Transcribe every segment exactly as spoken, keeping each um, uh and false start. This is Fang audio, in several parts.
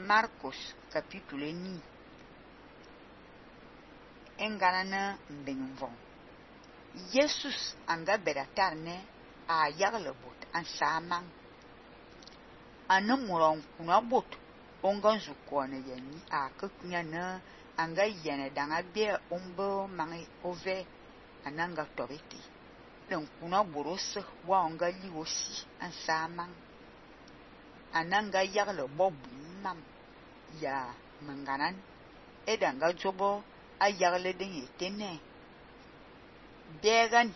Marcos capítulo ni enganana mbenvon. Jesus anga beratarne a yagle bot an samang. Anumuron kuna bot ongan zukone yani a kunya na anga yene danga be ombo mangi ove ananga tobeti. Dan kuna borose wa anga liwosi an samang. Ananga yagle bobu mam ya manganan edanga jobo a yagle den yetene. Began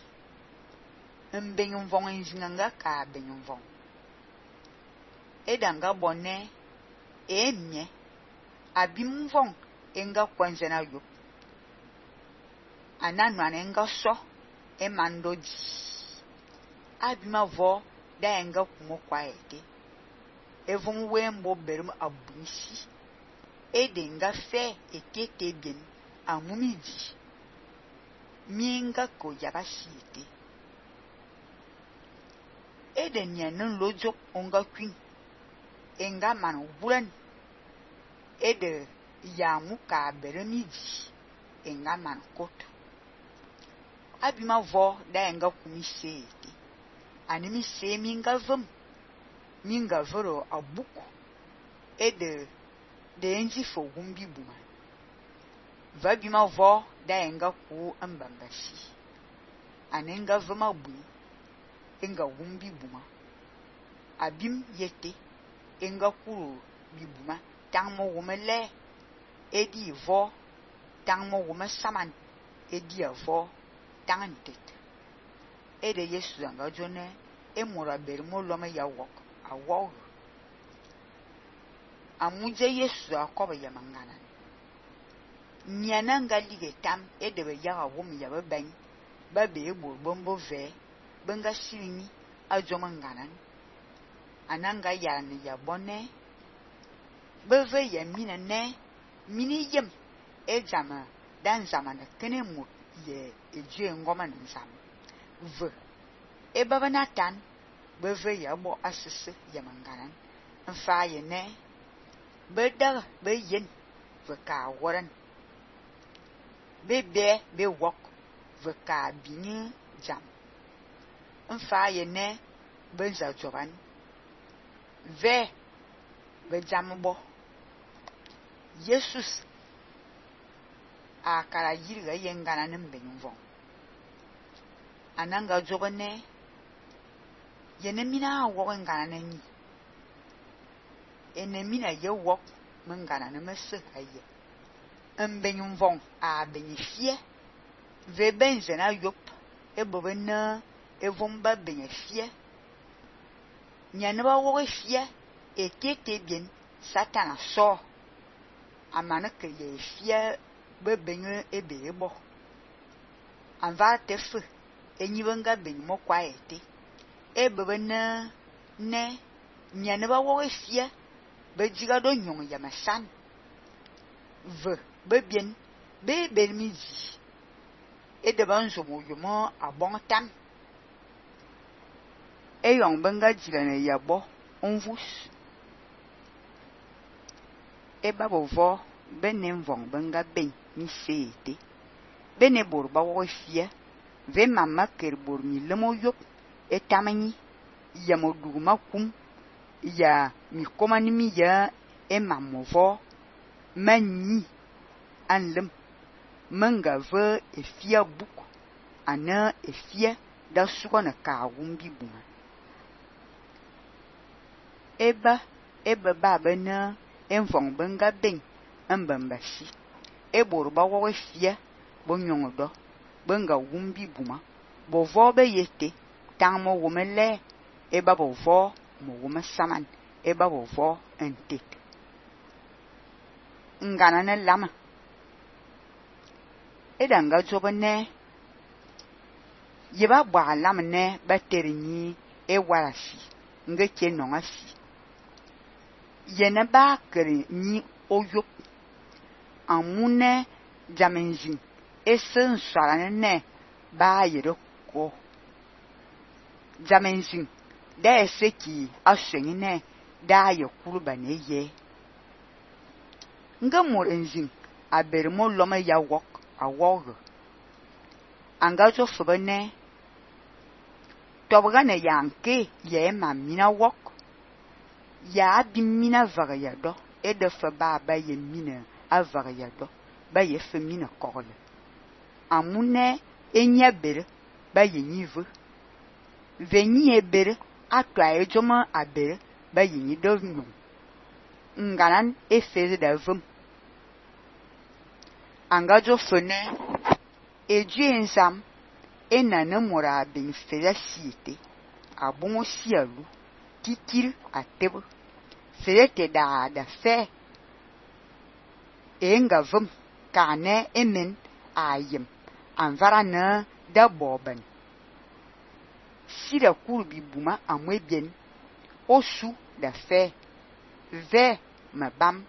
mbenvon enjinanga ka benvon. Edanga bonne emye abimvon enga kwanzena yo. Ananwane enga so emandoji. Abimavo da enga kumo kwaete. Evon wembo berum abunisi. Edenga fe etete bien amumiji. Mienga ko yabashite. Eden yanen lojo onga queen. Enga man wulan. Ede yamuka beremiji. Enga man koto. Abima vo da enga kumise ete. Animi se minga vum. Minga voro abuku. Ede de enji fo gumbi buma. Vabima vo da enga ku ambambashi. Anenga vuma bui. Enga gumbi buma. Abim yete. Enga kuro bibuma. Tangmo wumele. Edi vo. Tangmo wume saman. Edi avo. Tangantet. Ede Yesu anga jone. Emura bermo lome ya wok. A wok. Amuje Yesu akoba ya mangana. Nyananga lige tam edebe yaga wum ya bebeng. Babe ebor bombo ve. Benga sirini ajoma nganan. Ananga yarani ya bone. Beve ya mina ne. Mini yem. Ejama dan zamana kene mut ye eje ngoma nzam. Ve. Ebaba natan. Beve ya bo asese ya manganan. Nfa ye ne. Bedar be yen. Ve ka waran. Bebe be wok. Ve ka bini jam. Nfa ye ne. Benza joban. Ve. Be jam bo. Jesus. Akara yirga yengana nembenvon. Ananga jobane. Yenemina wok ngana neni. Enemina ye wok mengana nemese haye. Mbenvon a benefie. Ve benzena yop. Ebobe na evomba benefie. Nyaneba wok fie. Etete bien. Satan so. Amane ke ye fie. Bebenye ebe ebo. Anva tefe. Enyibenga benimo kwa ete. Ebebe na ne. Nyaneba wok fie. Bejiga do nyong yamasan. Ve. Bebien. Be bermiji. Edeba nzomo yomo abong tam. Eyong benga jilane yabo. Onvus. Eba bovo. Benen vong benga ben. Ni seete. Bene bor ba wok fie. Ve mama ker bor mi lemo yop. Etamani. Ya moduguma kum. Ya mi komani mi ya. E mamovo. Mani. Anlem. Menga ve e fie buk. Ana e fie. Da suko na ka wumbi buma. Eba. Eba baba na. En vong benga ben. Mbambashi. Ebor ba wok fie. Bo nyong do. Benga wumbi buma. Bo vo be yete. Tang mo wumele. Eba bo vo. Mo wume saman. Eba bo vo entet. Ngana ne lama. Edanga jobane. Yeba bwa lam ne. Bateri ni. E warasi. Nge ke nongasi. Yene ba kere ni oyop. Amune jamenjin. Ese nsarane ne. Ba yere ko. Jamenjin. Da ese ki ashengi ne. Da ye kuruba ne ye. nga mor nzing a ber mo loma ya wok a wog anga zo fbene tobga ne yanke ye ma mina wok ya bi mina vaga ya do e de fa ba ba ye mina a vaga ya do ba ye fe mina kokole amune enya ber ba ye nive veni e ber atwa e joma a ber ba ye ni do nu nganan e feze da vum anga jo fene e ju ensam e nana mora bin feza siete abongo sialu tikir atebo ferete da da fe e nga vum kane emen ayem anvara na da boben sira kurbi buma amwe bien osu da fe ve ma bam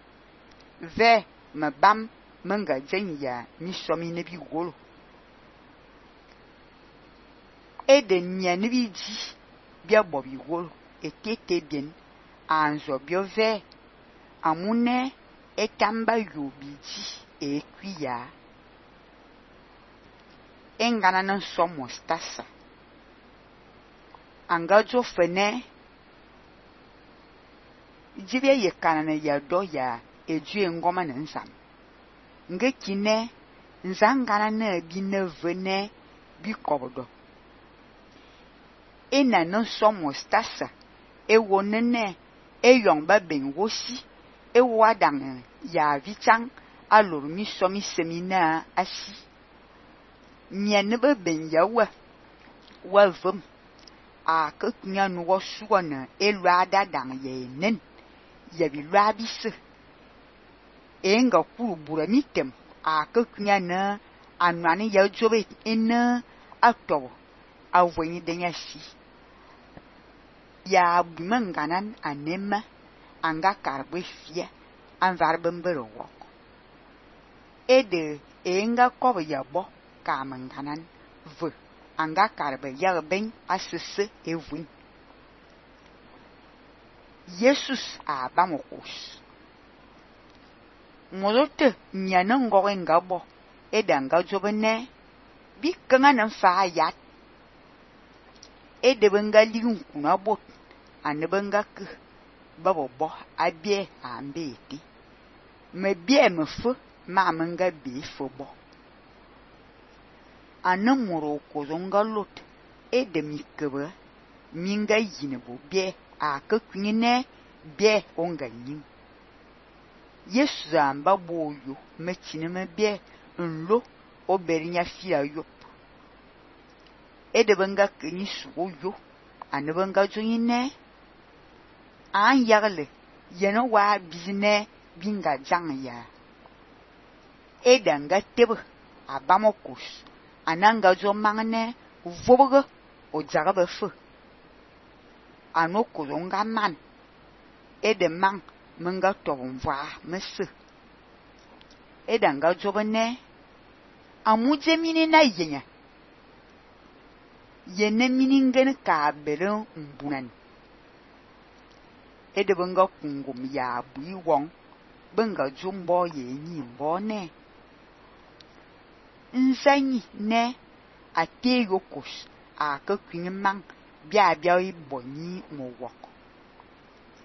ve ma bam manga jenya mi somi ne bi golo e de nya ne bi ji bia bobi golo e tete bien anzo bio ve amune e tamba yo bi ji e kuya engana na somo stasa angajo fene jibe ye kanana ya do ya eju ngoma na nsam nge kine nzangana na bi na vene bi kobodo ena no somo stasa e wonene e yongba ben wosi e wadang ya vichang alor mi somi semina asi nyane ba ben ya wa wa vum a ka kunya no wo suwana e lwada dang ye nen ya bi lwabise enga kuru bura mitem a ka kunya na anwani ya jobe ena ato avweni denya si ya bumanganan anema anga karbe fia anvar bembero wok ede enga kobe ya bo ka manganan v anga karbe ya ben asese evun Jesus a bamokos molote nyana ngoge ngabo ede anga jobene bi kanga nan fa yat ede benga ligun kuna bot anebenga ke babo bo abie ambeti me bie me fo ma menga bi fo bo anamuro ko zonga lot ede mikebe minga yine bo bie a ka kunyine bie onga nyim Yesu amba boyo mechine me bie nlo oberinya fia yop ede benga kenyi suyo anebenga joyine an yagle yeno wa bizine binga jang ya ede nga tebe abamokos ananga jo mangne vobogo o jarabe fu anoko zonga man ede man menga tobonva mese ede nga jobene amuje mini na yenya yene mini ngene ka bere mbunan ede benga kungum ya bui wong benga jumbo ye nyi mbone nsanyi ne ate yokos a ka kwini man bia bia ibonyi mo wok